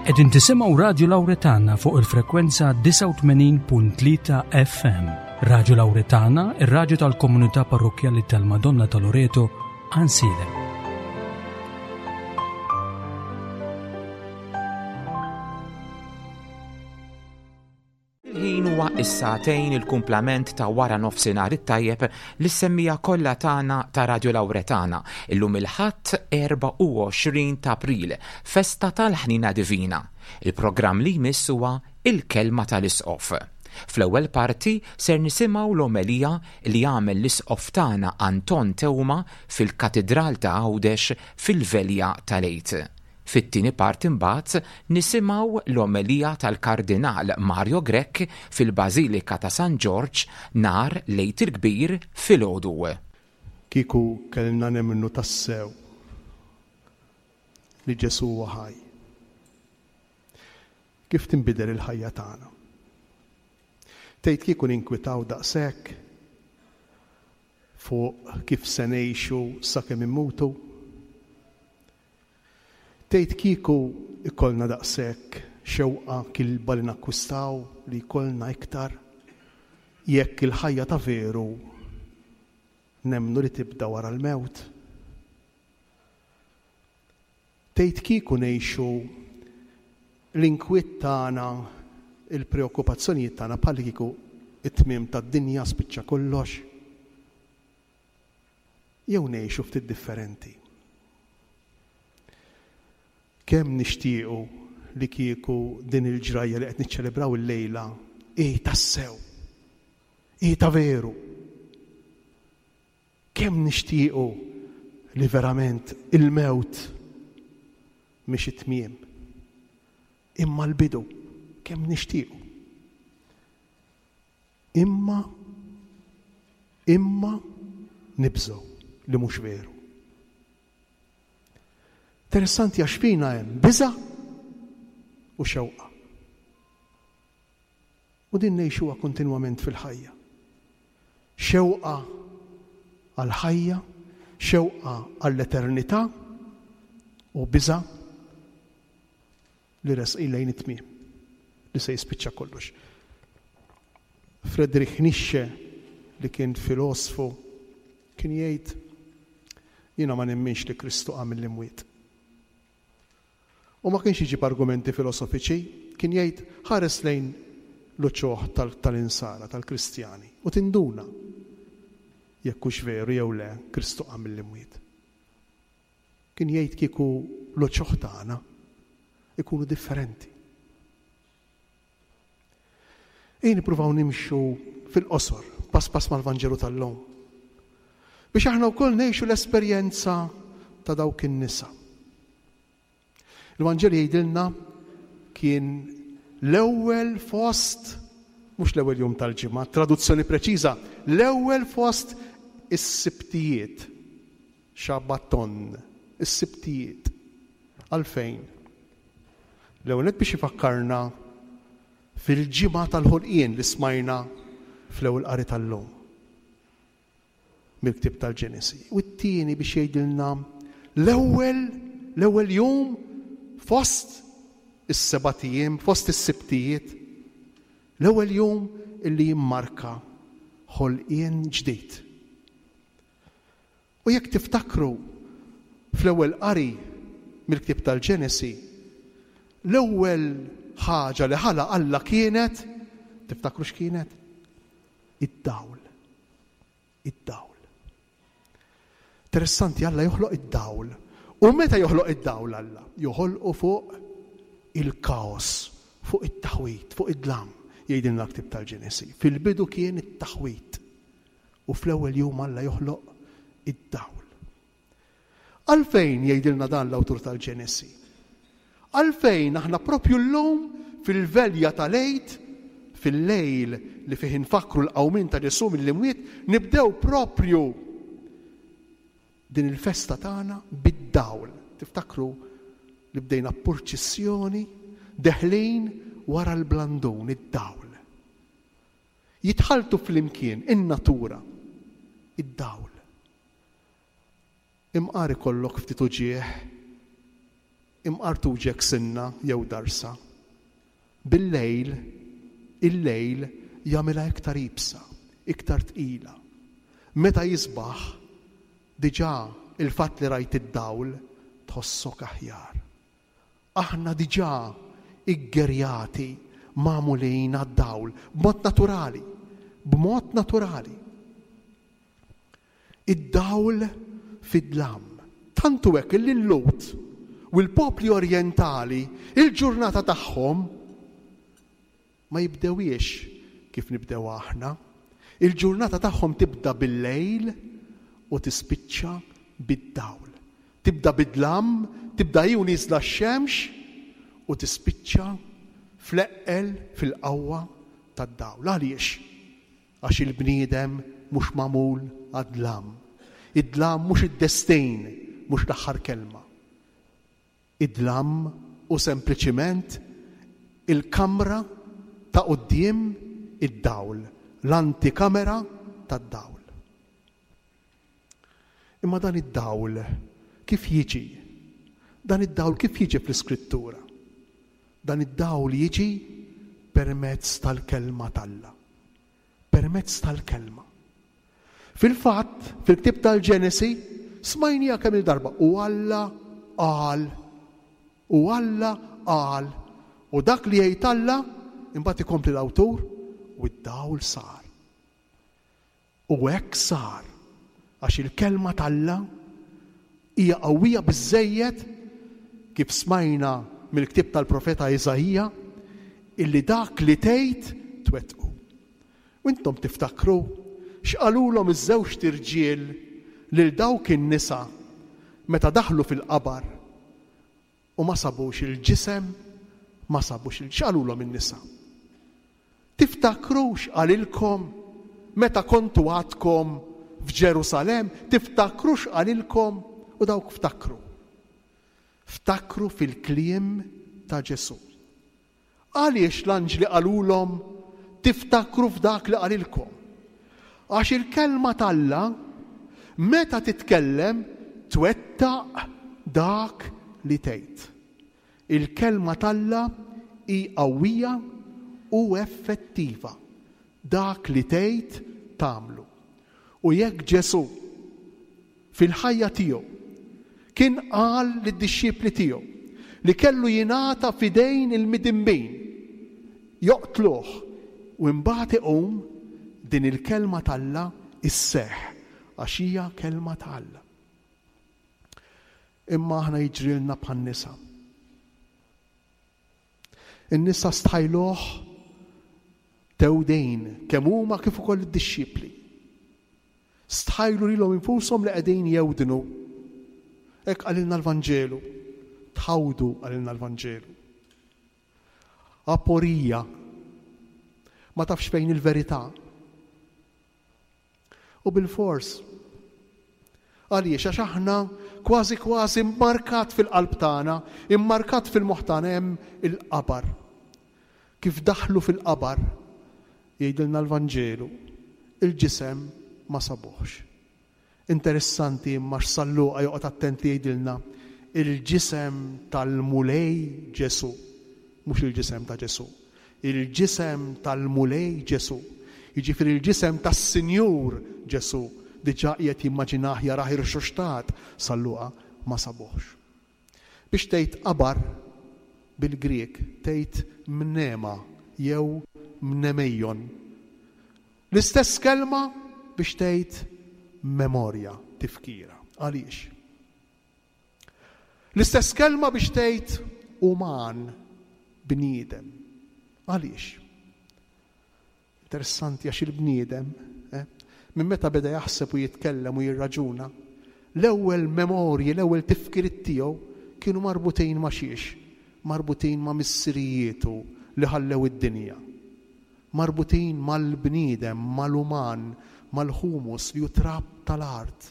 Qegħdin tisimgħu Radju Lawretana fuq il-frekwenza 89.3 FM. Radju Lawretana, ir-radju tal-komunità parrokkjali tal-Madonna ta' Loreto, Ansiedem. Il-ħin huwa is-sagħtejn il-kumplament ta' wara nofsinhar it-tajjeb lis-semmiegħa kollha tagħna ta' Radio Lauretana. Illum il-Ħadd 24 ta' April, festa tal-Ħniena Divina. Il-programm li jmiss huwa Il-Kelma tal-Isqof. Fl-ewwel parti ser nisimgħu l-omelija li għamel l-Isqof tagħna Anton Teuma fil-Katidral ta' Għawdex fil-Velja tal-Għid. Fit-tieni parti mbagħad nisimgħu l-omelija tal-Kardinal Mario Grech fil-Bażilika ta' San Ġorġ nhar l-Għid il-Kbir filgħodu. Kieku kellna nemmnu tassew li Ġesù huwa ħaj, kif tinbidel il-ħajja tagħna? Tgħid kieku ninkwitaw daqshekk fuq kif se ngħixu sakemm immutu? Tgħid kieku jkollna daqshekk xewqa kilba li nakkwistaw li jkollna iktar jekk il-ħajja ta' veru nemmnu li tibda wara l-mewt? Tgħid kieku ngħixu l-inkwiet tagħna, il-preokkupazzjonijiet tagħna bħallikieku t-tmiem tad-dinja spiċċa kollox? Jew ngħixu ftit differenti? Kemm nixtiequ li kieku din il-ġrajja li qed niċċelebraw illejla hi tassew, hi ta' veru. Kemm nixtiequ li verament il-mewt mhix it-tmiem, imma l-bidu, kemm nixtiequ. Imma, imma nibżgħu li mhux veru. Interessanti għax fina hemm biża' u xewqa. U din ngħixuha kontinwament fil-ħajja. Xewqa għall-ħajja, xewqa għall-eternità u biża' li resqin lejn it-tmiem, li se jispiċċa kollox. Friedrich Nietzsche, li kien filosfu, kien jgħid, Jiena ma nemminx li Kristu qam mill-imwiet. U ma kienx iġib argumenti filosofiċi, kien jgħid, ħares lejn l-uċuħ tal-insara, tal-Kristjani, u tinduna jekk hux veru jew le Kristu qam mill-imwiet. Kien jgħid kieku l-uċuħ tagħna ikunu differenti. Ejja nippruvaw nimxu fil-qosor, pass pass mal-Vanġelu tal-lum. Biex aħna wkoll ngħixu l-esperjenza ta' dawk in-nisa. Il-Vanġelu jgħidilna kien l-ewwel fost mhux l-ewwel jum tal-ġimgħa, traduzzjoni preċiża, l-ewwel fost is-sibtijiet. Shabbaton, is-Sibtijiet. Għalfejn? L-ewwel nett biex ifakkarna fil-ġimgħa tal-ħolqien li smajna fl-ewwel qari tal-lum mill-ktieb tal-Ġenesi. U t-tieni biex jgħidilna l-ewwel l-ewwel jum fost is-sebat ijiem, fost is-Sibtijiet, l-ewwel jum illi jimmarka ħolqien ġdid. U jekk tiftakru fl-ewwel qari mill-ktieb tal-Ġenesi, l-ewwel ħaġa li ħalaq Alla kienet, tiftakru x'kienet? Id-dawl. Id-dawl. Interessanti Alla joħloq id-dawl. U meta joħloq id-dawl Alla? Joħolqu fuq il-kaos, fuq it-taħwid, fuq id-dlam, jgħidilna l-ktieb tal-Ġenesi. Fil-bidu kien it-taħwid. U fl-ewwel jum Alla joħloq id-dawl. Għalfejn jgħidilna dan l-awtur tal-Ġenesi? Għalfejn aħna propju llum fil-velja tal-Għid, fil-lejl li fih infakkru l-qawmien ta' Ġesù mill-imwiet, nibdew propju din il-festa tagħna bid-dawl. Tiftakru li bdejna purċissjoni deħlin wara l-blandun, id-dawl. Jitħalltu flimkien in-natura, id-dawl. Imqar ikollok ftit uġigħ. Imqar tuġgħek sinna jew darsa. Bil-lejl, il-lejl jagħmilha iktar iebsa, iktar tqila. Meta jisbaħ, diġà il-fatt li rajt id-dawl tħossok aħjar. Aħna diġà iggerjati, magħmulin għad-dawl, b'mod naturali, b'mod naturali. Id-dawl fid-dlam. Tant hu hekk illi l-Lhud u l-popli orjentali il-ġurnata tagħhom ma jibdewhiex kif nibdewha aħna. Il-ġurnata tagħhom tibda bil-lejl u tispiċċa bid-dawl. Tibda bid-dlam, tibda hi u nieżla x-xemx u tispiċċa fl-eqqel fil-qawwa tad-dawl. Għaliex? Għax il-bniedem mhux magħmul għad-dlam. Id-dlam mhux id-destin, mhux l-aħħar kelma. Id-dlam hu sempliċiment il-kamra ta' quddiem id-dawl, l-antikamera tad-dawl. Imma dan id-dawl kif jiġi? Dan id-dawl kif jiġi fl-Iskrittura? Dan id-dawl jiġi permezz tal-Kelma t'Alla. Permezz tal-Kelma. Fil-fatt, fil-ktieb tal-Ġenesi, smajniha kemm-il darba, u Alla qal, u Alla qal, u dak li jgħid Alla, imbagħad ikompli l-awtur, u d-dawl sar. U hekk sar, għax il-Kelma t'Alla hija qawwija biżżejjed, kif smajna mill-ktieb tal-profeta Iżaija, illi dak li tgħid twettqu. U intom tiftakru x'qalulhom iż-żewġt irġiel lil dawk in-nisa meta daħlu fil-qabar U ma sabux il-ġisem, ma sabux il X'qalulhom in-nisa? Tiftakru x'qalilkom meta kontu għadkom f'Ġerusalemm? Tiftakru x'qalilkom? U dawk ftakru. Ftakru fil-kliem ta' Ġesù. Għaliex l-anġli qalulhom tiftakru f'dak li qalilkom? Għax il-kelma t'Alla meta titkellem twettaq dak li tgħid. Il-kelma t'Alla hi qawwija u effettiva. Dak li tgħid tagħmlu. U jekk Ġesù fil-ħajja tiegħu, kien qal lid-dixxipli tiegħu li kellu jingħata f'idejn il-midinbin, joqtluh u imbagħad iqum, din il-kelma t'Alla sseħħ għax hija kelma ta' Alla. Imma aħna jiġrilna bħan-nisa. In-nisa stħajluh tewdejn kemm huma kif ukoll id-dixxipli. Stħajlu lilhom infushom li qegħdin jewdnu. Hekk qalilna l-Vanġelu. Tħawdu qalilna l-Vanġelu. Aporija. Ma tafx fejn il-verità. U bilfors. Għaliex? Għax aħna kważi kważi mmarkat fil-qalb tagħna, immarkat fil-moħħ tagħna hemm il-qabar. Kif daħlu fil-qabar, jgħidilna l-Vanġelu, il-ġisem ma sabuhx. Interessanti imma x'San Luqa joqgħod attent li jgħidilna, il-ġisem tal-Mulej Ġesù, mhux il-ġisem ta' Ġesù, il-ġisem tal-Mulej Ġesù, jiġifieri l-ġisem tas-Sinjur Ġesù, diġà qiegħed jimmaġinah jarah irxoxtat, San Luqa, ma sabuhx. Biex tgħid qabar bil-Grieg tgħid mnema jew mnemeion. L-istess kelma biex tgħid memorja, tifkira. Għaliex? L-istess kelma biex tgħid uman, bniedem. Għaliex? Interessanti għax il-bniedem, eh, minn meta beda jaħseb u jitkellem u jirraġuna, l-ewwel memorji, l-ewwel tifkiriet tiegħu kienu marbutin ma' xiex? Marbutin ma' missirijietu li ħallew id-dinja. Marbutin mal-bniedem, mal-uman, mal-humus li hu trab tal-art,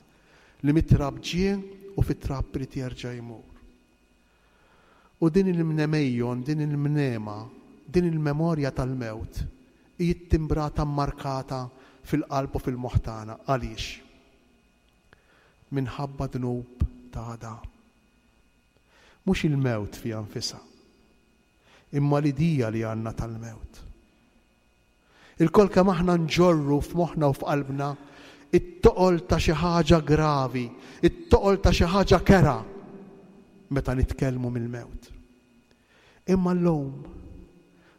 li mit-trab ġie u fit-trab irid jerġa' jmur. U din il-mnemeion, din il-mnema, din il-memorja tal-mewt hi ttimbrata mmarkata fil-qalb u fil-moħħ tagħna. Għaliex? Minħabba dnub ta' Adam. Mhux il-mewt fiha nfisha, imma l-idea li għandna tal-mewt. Ilkoll kemm aħna nġorru f'moħħna u f'qalbna it-toqol ta' xi ħaġa gravi, it-toqol ta' xi ħaġa kerha meta nitkellmu mill-mewt. Imma llum,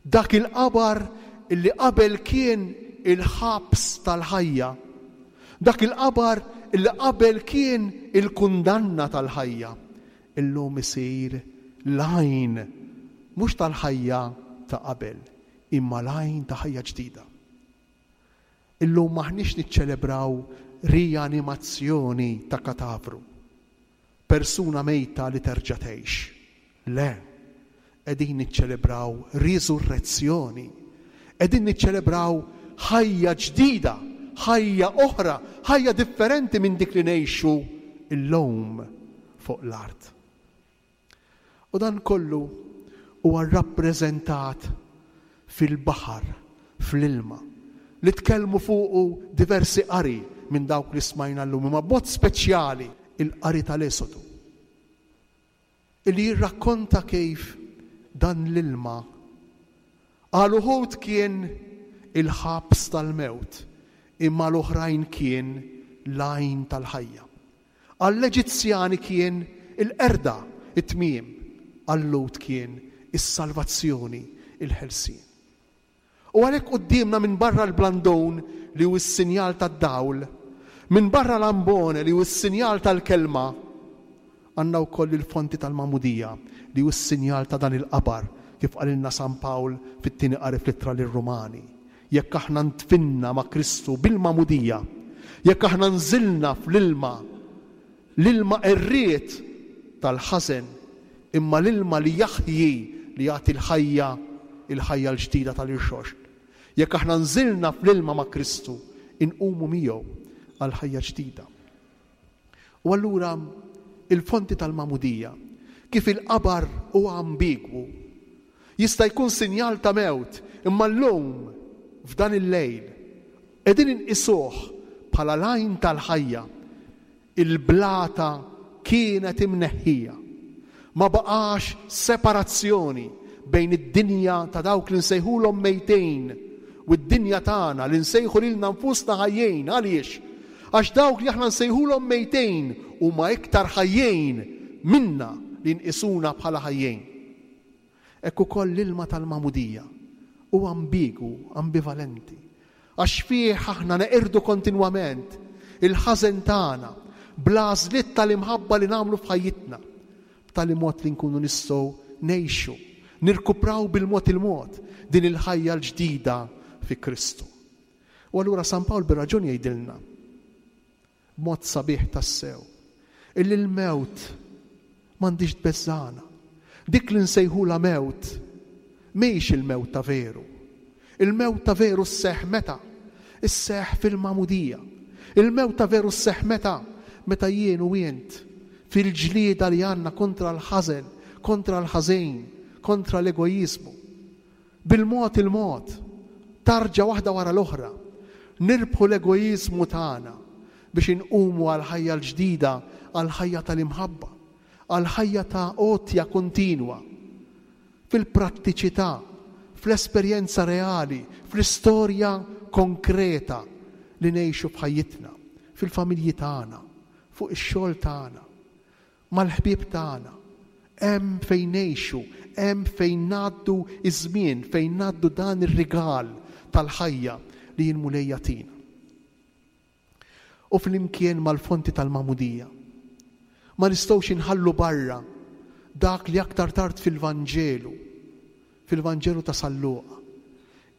dak il-qabar illi qabel kien il-ħabs tal-ħajja, dak il-qabar illi qabel kien il-kundanna tal-ħajja, illum isir l-għajn mhux tal-ħajja ta' qabel, imma l-għajn ta' ħajja ġdida. Illum m'aħniex niċċelebraw rianimazzjoni ta' katavru, persuna mejta li terġa' tgħix. Le, qegħdin niċċelebraw riżurrezzjoni. Qegħdin niċċelebraw ħajja ġdida, ħajja oħra, ħajja differenti minn dik li ngħixu llum fuq l-art. U dan kollu huwa rrappreżentat fil-baħar, fl-ilma, li tkellmu fuqu diversi qari minn dawk li smajna llum, imma b'mod speċjali il-qari tal-Esodu, illi jirrakkonta kif dan l-ilma għal uħud kien il-ħabs tal-mewt, imma għal oħrajn kien l-għajn tal-ħajja. Għall-Eġizzjani kien il-qerda, it-tmiem, għal-Lhud kien is-salvazzjoni, il-ħelsien. U għalhekk quddiemna minbarra l-blandun li hu s-sinjal tad-dawl, minbarra l-ambone li hu s-sinjal tal-kelma, għandna wkoll il-fonti tal-magħmudija li hu s-sinjal ta' dan il-qabar, kif qalilna San Pawl fit-tieni qari fl-Ittra lir-Rumani. Jekk aħna ndfinna ma' Kristu bil-magħmudija, jekk aħna nżilna fl-ilma, l-ilma qerried tal-ħażen, imma l-ilma li jaħji, li jagħti l-ħajja, il-ħajja l-ġdida tal-irxoxt. Jekk aħna nżilna fl-ilma ma' Kristu, inqumu miegħu għal ħajja ġdida. U allura il-fonti tal-magħmudija, kif il-qabar huwa ambigwu, jista' jkun sinjal ta' mewt, imma llum, f'dan il-lejl, qegħdin inqisuh bħala l-għajn tal-ħajja. Il-blata kienet imneħħija. Ma baqax separazzjoni bejn id-dinja ta' dawk li nsejħulhom mejtin u d-dinja tagħna li nsejħu lilna nfusna ħajjin. Għaliex? Għax dawk li aħna nsejħulhom mejtin huma iktar ħajjin minna li nqisuna bħala ħajjin. Hekk ukoll l-ilma tal-magħmudija hu ambigwu, ambivalenti, għax fih aħna neqirdu kontinwament il-ħażen tagħna bl-għażliet tal-imħabba li nagħmlu f'ħajjitna, b'tali mod li nkunu nistgħu ngħixu, nirkupraw bil-mod il-mod din il-ħajja l-ġdida fi Kristu. U allura San Pawl bir-raġun jgħidilna, B'mod sabiħ tassew. Illi l-mewt m'għandhiex tbeżżagħna. Dik li nsejħulha mewt mhix il-mewt ta' veru. Il-mewt ta' veru sseħħ meta? Isseħħ fil-magħmudija. Il-mewt ta' veru sseħħ meta? Meta jien u int, fil-ġlieda li għandna kontra l-ħażen, kontra l-ħażin, kontra l-egoiżmu, Bil-mod il-mod, tarġa waħda wara l-oħra, nirbħu l-egoiżmu tagħna biex inqumu għall-ħajja l-ġdida, għall-ħajja tal-imħabba, għall-ħajja ta' għotja kontinwa, fil-prattiċità, fl-esperjenza reali, fl-istorja konkreta li ngħixu f'ħajjitna, fil-familji tagħna, fuq ix-xogħol tagħna, mal-ħbieb tagħna, hemm fejn ngħixu, hemm fejn ngħaddu ż-żmien, fejn ngħaddu dan ir-rigal tal-ħajja li l-Mulej jagħtina. U flimkien mal-fonti tal-magħmudija, ma nistgħux inħallu barra dak li aktar tard fil-Vanġelu, fil-Vanġelu ta' San Luqa,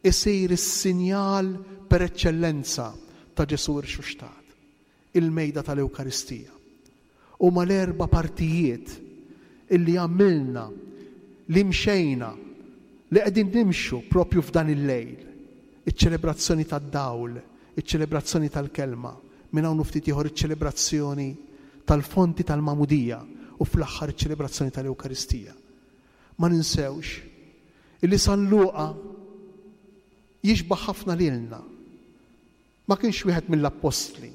isir is-sinjal per eċċellenza ta' Ġesù rxuxtat. Il-mejda tal-Ewkaristija. Huma l-erba' partijiet illi għamilna, li mxejna, li qegħdin nimxu propju f'dan il-lejl. Iċ-ċelebrazzjoni tad-dawl, iċ-ċelebrazzjoni tal-kelma, minn hawn u ftit ieħor iċ-ċelebrazzjoni tal-fonti tal-magħmudija u fl-aħħar iċ-ċelebrazzjoni tal-Ewkaristija. Ma ninsewx illi San Luqa jixbah ħafna lilna. Ma kienx wieħed mill-appostli.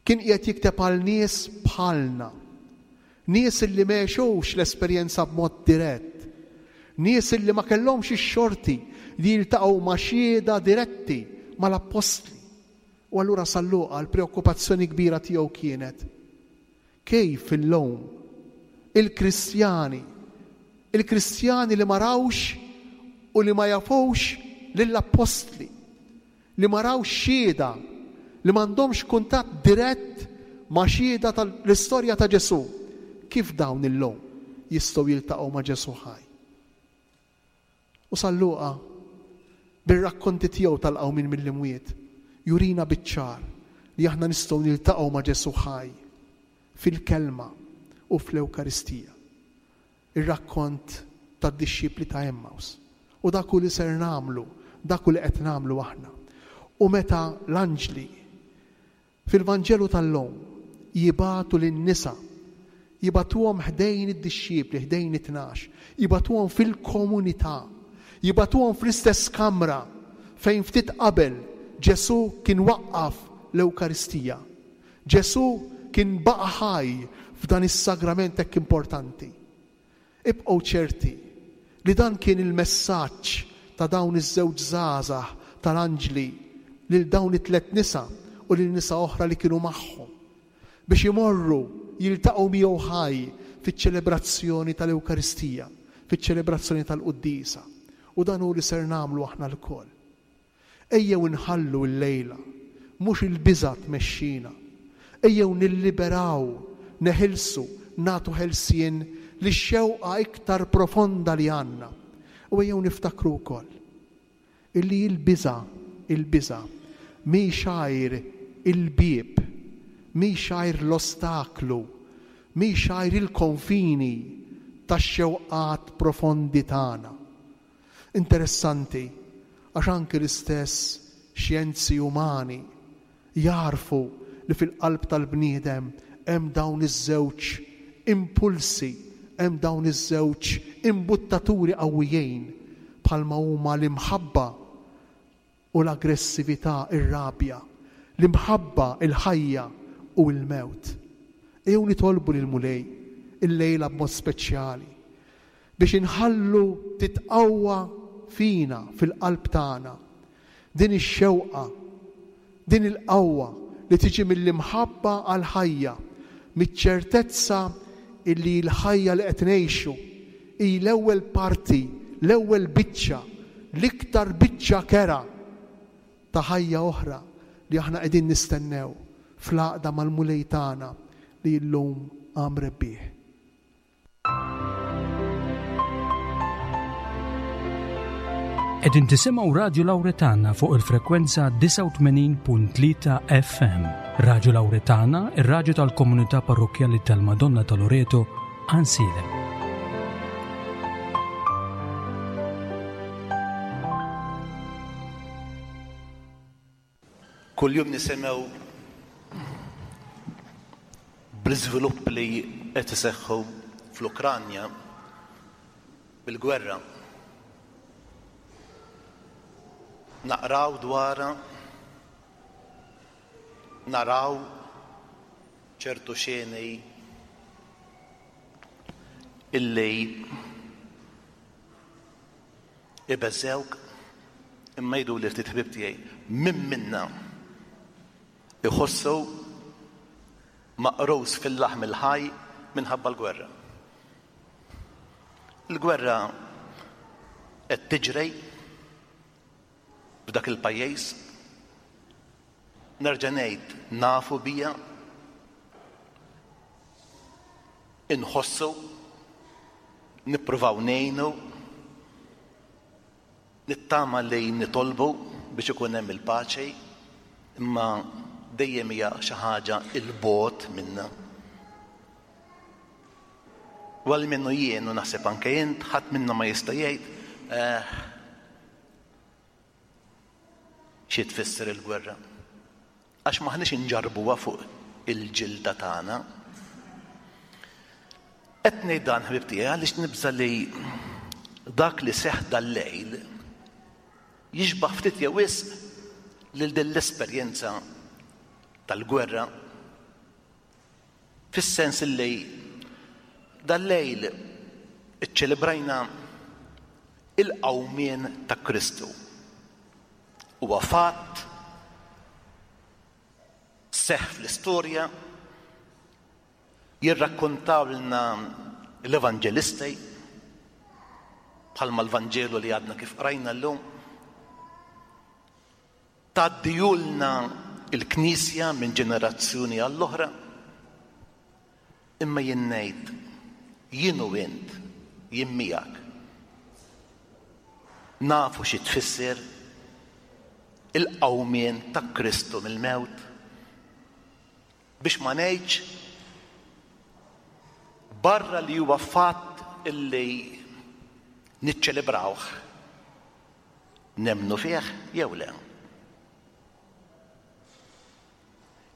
Kien qiegħed jikteb għal nies bħalna. Nies li m'għexux l-esperjenza b'mod dirett. Nies li ma kellhomx ix-xorti li jiltaqgħu ma' xhieda diretti mal-appostli. U allura San Luqa l-preokkupazzjoni kbira tiegħu kienet kif illum il-Kristjani, il-Kristjani li ma rawx u li ma jafux lill-appostli, li ma rawx xhieda, li m'għandhomx kuntatt dirett ma' xhieda tal-istorja ta' Ġesù, kif dawn illum jistgħu jiltaqgħu ma' Ġesù ħaj? U San Luqa, bir-rakkonti tiegħu tal-qawmien mill-imwiet, jurina biċ-ċar li aħna nistgħu niltaqgħu ma' Ġesù ħaj fil-Kelma u fl-Ewkaristija. Ir-rakkont tad-dixxipli ta' Emmaus. U dak hu li ser nagħmlu, dak hu li qed nagħmlu aħna. U meta l-anġli Fil-Vanġelu tal-lum, jibagħtu lin-nisa, jibagħtuhom ħdejn id-dixxipli, ħdejn it-tnax, jibagħtuhom fil-komunità, jibagħtuhom fl-istess kamra fejn ftit qabel Ġesù kien waqqaf l-Ewkaristija. Ġesù kien baqa' ħaj f'dan is-sagrament hekk importanti. Ibqgħu ċerti li dan kien il-messaġġ ta' dawn iż-żewġ żgħażagħ tal-anġli lil dawn it-tlett nisa u lil nisa oħra li kienu magħhom, biex imorru jiltaqgħu miegħu ħaj fiċ-ċelebrazzjoni tal-Ewkaristija, fiċ-ċelebrazzjoni tal-Quddiesa. U dan hu li ser nagħmlu aħna lkoll. Ejjew inħallu llejla mhux il-biża' tmexxina. Ejjew nilliberaw, neħilsu, nagħtu ħelsien lix-xewqa iktar profonda li għandna. U ejjew niftakru wkoll illi l-biża', il-biża', mhix għajr il-bieb, mhix għajr l-ostaklu, mhix għajr il-konfini tax-xewqat profondi tagħna. Interessanti għax anki l-istess xjenzi umani jagħrfu li fil-qalb tal-bniedem hemm dawn iż-żewġ impulsi, hemm dawn iż-żewġ imbuttaturi qawwijin bħalma huma l-imħabba u l-aggressività, ir-rabja, l-imħabba, il-ħajja u l-mewt. Ejjew nitolbu lill-Mulej illejla b'mod speċjali biex inħallu titqawwa fina, fil-qalb tagħna, din ix-xewqa, din il-qawwa li tiġi mill-imħabba għall-ħajja, miċ-ċertezza illi l-ħajja li qed ngħixu hi l-ewwel parti, l-ewwel biċċa, l-iktar biċċa kerha ta' ħajja oħra li aħna qegħdin nistennew fl-għaqda mal-Mulej tagħna li llum qam rebbieħ. Qegħdin tisimgħu Radju Lawretana fuq il-frekwenza 89.3 FM. Radju Lawretana, ir-radju tal-komunità parrokkjali tal-Madonna ta' Loreto, Ansilem. Kuljum nisimgħu bl-iżvilupp li qed iseħħu fl-Ukranja bil-gwerra. Naqraw dwarha, naraw ċertu xeni illi Ibeżżgħuk? Imma jgħiduli ftit ħbieb tiegħi, min minna jħossu maqrus fil-laħm il-ħaj minħabba l-gwerra? Il-gwerra qed tiġri f'dak il-pajjiż. Nerġa' ngħid nafu bija, inħossu, nippruvaw ngħinu, nittama li nitolbu biex ikun hemm il-paċi, imma dejjem hija xi ħaġa 'l bogħod minna. U almenu jien u naħseb anke int ħadd minna ma jista' jgħid eh, Xi tfisser il-gwerra? Għax m'aħniex inġarrbuha fuq il-ġilda tagħna. Qed ngħid dan ħbib tiegħi għaliex nibża' li dak li seħħ dal-lejl jixbah ftit jew wisq lil din l-esperjenza tal-gwerra fis-sens li. Dal-lejl iċċelebrajna il-qawmien ta' Kristu. Huwa fatt seħħ fl-istorja jirrakkontawlna l-evanġelisti bħalma l-Vanġelu li għadna kif qrajna llum. Tgħaddihulna l-Knisja minn ġenerazzjoni għall-oħra. Imma jien ngħid, jien u int, jien miegħek. Nafu xi tfisser il-qawmien ta' Kristu mill-mewt. Biex ma ngħidx barra li huwa fatt illi niċċelebrawh. Nemmnu fih jew le?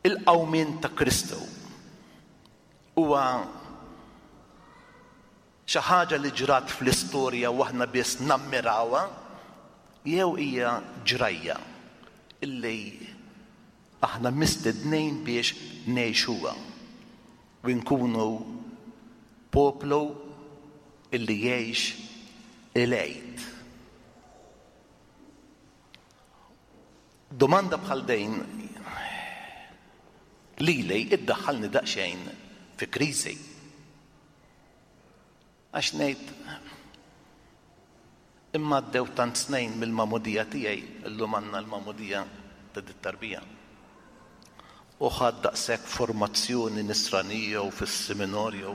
Il-qawmien ta' Kristu huwa xi ħaġa li ġrat fl-istorja u aħna biss nammirawha jew hija ġrajja illi aħna mistednin biex ngħixuha u nkunu poplu illi jgħix il-Għid. Domanda bħal din lili iddaħħalni daqsxejn fi kriżi. Għax ngħid imma għaddew tant snejn mill-magħmudija tiegħi, illum għandna l-magħmudija ta' dit-tarbija. U ħadt daqshekk formazzjoni nisranija u fis-seminarju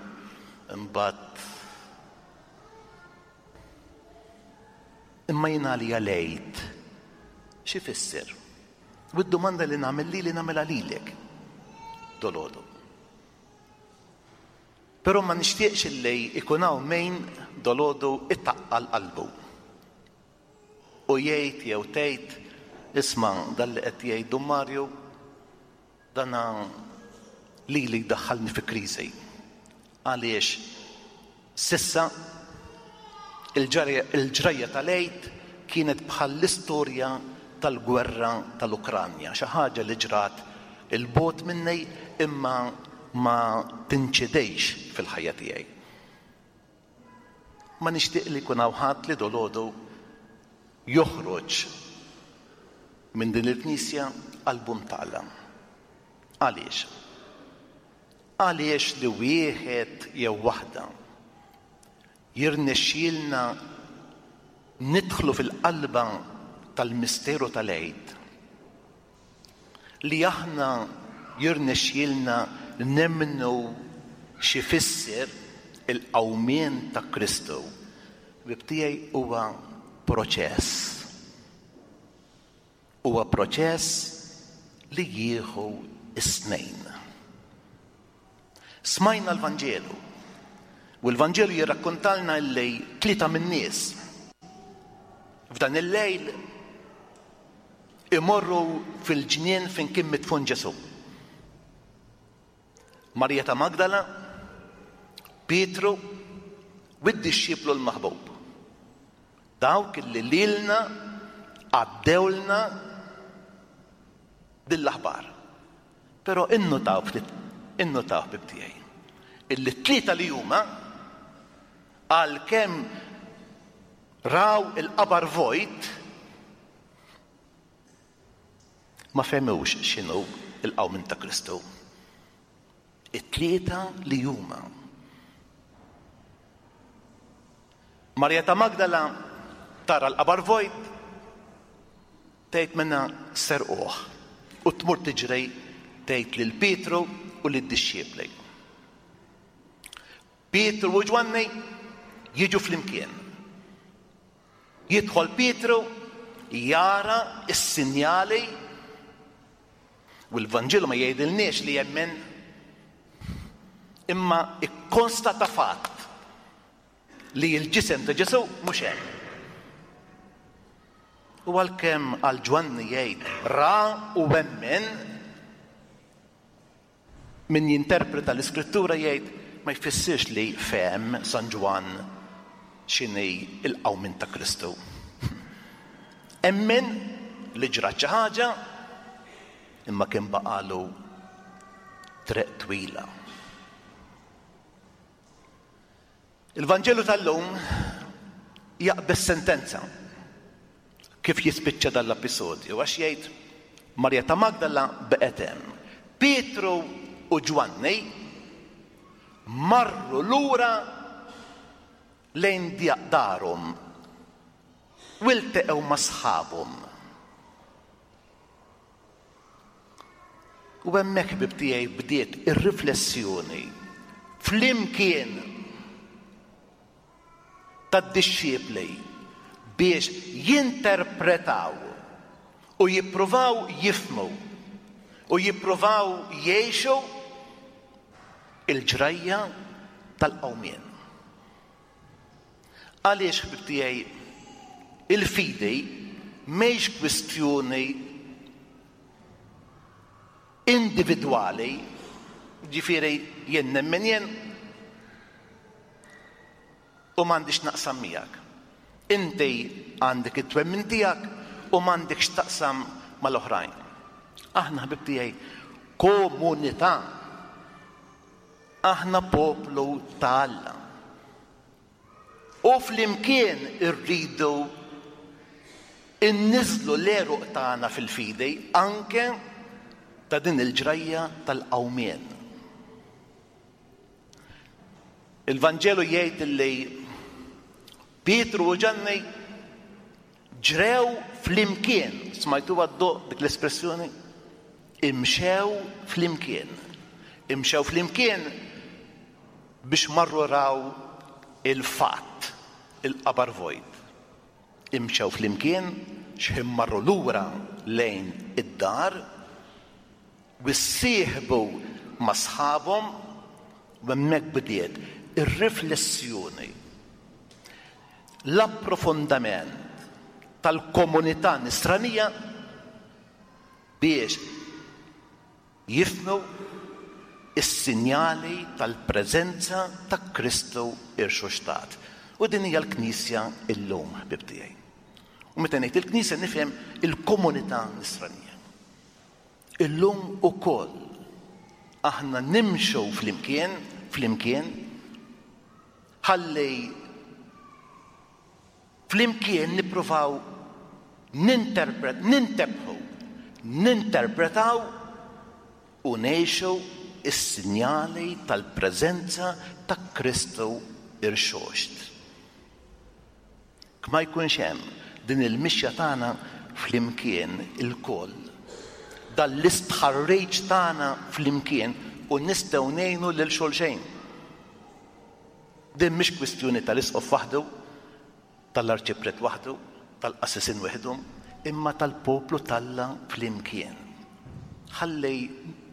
imbagħad Imma jien għalija l-Għid x'ifisser? U d-domanda li nagħmel lili nagħmilha lilek dolodu. Però ma nixtieqx illi ikun hawn min dolodu itaqqal qalbu. U jgħid jew tgħid, isma' dan li qed jgħid Dun Mario, dana lili jdaħħalni fi kriżi. Għaliex s'issa il-ġrajja tal-Għid kienet bħall-istorja tal-gwerra tal-Ukranja, xi ħaġa li ġrat 'il bogħod minni imma ma tinċidejx fil-ħajja tiegħi. Ma nixtieq li jkun hawn ħadd li dolodu joħroġ minn din il-knisja qalbu mtaqla. Għaliex? Għaliex li wieħed jew waħda jirnexxielna nidħlu fil-qalba tal-misteru tal-Għid, li aħna jirnexxielna nemmnu x'ifisser il-qawmien ta' Kristu, ħbieb tiegħi huwa proċess. Huwa proċess li jieħu s-snejn. Smajna l-Vanġelu u l-Vanġelu jirrakkontalna illi tlieta min-nies f'dan il-lejl imorru fil-ġnien fejn kien midfun Ġesù. Marija ta' Magdala, Pietru u d-dixxiplu l-maħbub. Dawk li lilna għaddewlna din l-aħbar. Però innutaw ftit, innutaw ħbieb tiegħi, illi t-tlieta li huma għalkemm raw il-qabar vojt ma fehmux x'inhu l-qawmien ta' Kristu. It-tlieta li huma. Marija ta' Magdala tara l-qabar vojt, tgħid minna serquh u tmur tiġri tgħid lil Pietru u lid-dixxipli. Pietru u Ġwanni jiġu flimkien. Jidħol Pietru jara s-sinjali u l-Vanġelu ma jgħidilniex li jemmen imma ikkonstata fatt li l-ġisem ta' Ġesù mhux hemm. U għalkemm għal Ġwanni jgħid ra u emmen, min jinterpreta l-Iskrittura jgħid ma jfissirx li fehem San Ġwann x'inhi l-qawmien ta' Kristu. Emmen li ġrat xi ħaġa imma kien baqalu triq twila. Il-Vanġelu tal-lum jaqbeż sentenza kif jispiċċa dan l-episodju għax jgħid Marja ta' Magdala beqgħet hemm. Pietru u Ġwanni marru lura lejn darhom u lteqgħu ma' sħabhom. U hemmhekk ħbieb tiegħi bdiet ir-riflessjoni flimkien tad-dixxipli biex jinterpretaw u jippruvaw jifhmu u jippruvaw jgħixu il-ġrajja tal-qawmien. Għaliex, ħbieb tiegħi, il-fidi mhix kwistjoni individwali, ġifieri jien nemmen jien u m'għandix naqsam miegħek. Inti għandek it-twemmin tiegħek u m'għandekx taqsam mal-oħrajn. Aħna ħbieb tiegħi komunità. Aħna poplu ta' Alla. U flimkien irridu inniżlu l-għeruq tagħna fil-fidi anke ta' din il-ġrajja tal-qawmien. Il-Vanġelu jgħid li Pietru u Ġanni ġrew flimkien. Smajtuha ddoqq dik l-espressjoni? Imxew flimkien. Imxew flimkien biex marru raw il-fatt, il-qabar vojt. Imxew flimkien x'ħin marru lura lejn id-dar u ssieħbu ma' sħabhom u hemmhekk bdiet ir-riflessjoni, l-approfondament tal-komunità nisranija biex jifhmu s-sinjali tal-preżenza ta' Kristu rxoxtat. U din hija l-Knisja llum, ħbieb tiegħi. U meta ngħid il-Knisja nifhem il-komunità nisranija. Illum ukoll aħna nimxu flimkien, flimkien, ħalli Flimkien nippruvaw ninterpret, nintebħu, ninterpretaw u ngħixu s-sinjali tal-preżenza ta' Kristu rxoxt. Jekk ma jkunx hemm din il-mixja tagħna flimkien ilkoll, dan l-istħarriġ tagħna flimkien u nistgħu ngħinu lil xulxejn. Din mhix kwistjoni tal-isqof waħdu, tal-arċipriet waħdu, tal-qassisin weħidhom, imma tal-poplu t'Alla flimkien. Ħalli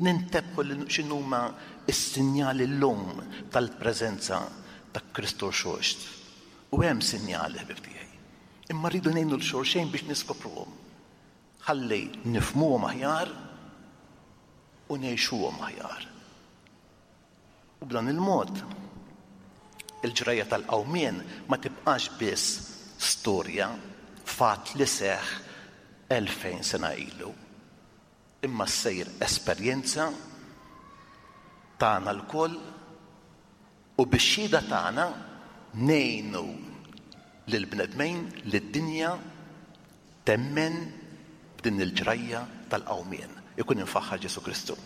nintebħu x'inhuma s-sinjali llum tal-preżenza ta' Kristu Rxoxt. U hemm sinjali, ħbieb tiegħi. Imma rridu ngħinu 'l xulxejn biex niskopruhom. Ħalli nifhmuhom aħjar u ngħixuhom aħjar. U b'dan il-mod, il-ġrajja tal-qawmien ma tibqax biss storja, fatt li seħħ 2000 sena ilu, imma ssir esperjenza tagħna lkoll u bix-xhieda tagħna ngħinu lill-bnedmin, lid-dinja temmen b'din il-ġrajja tal-qawmien. Ikun imfaħħar Ġesù Kristu.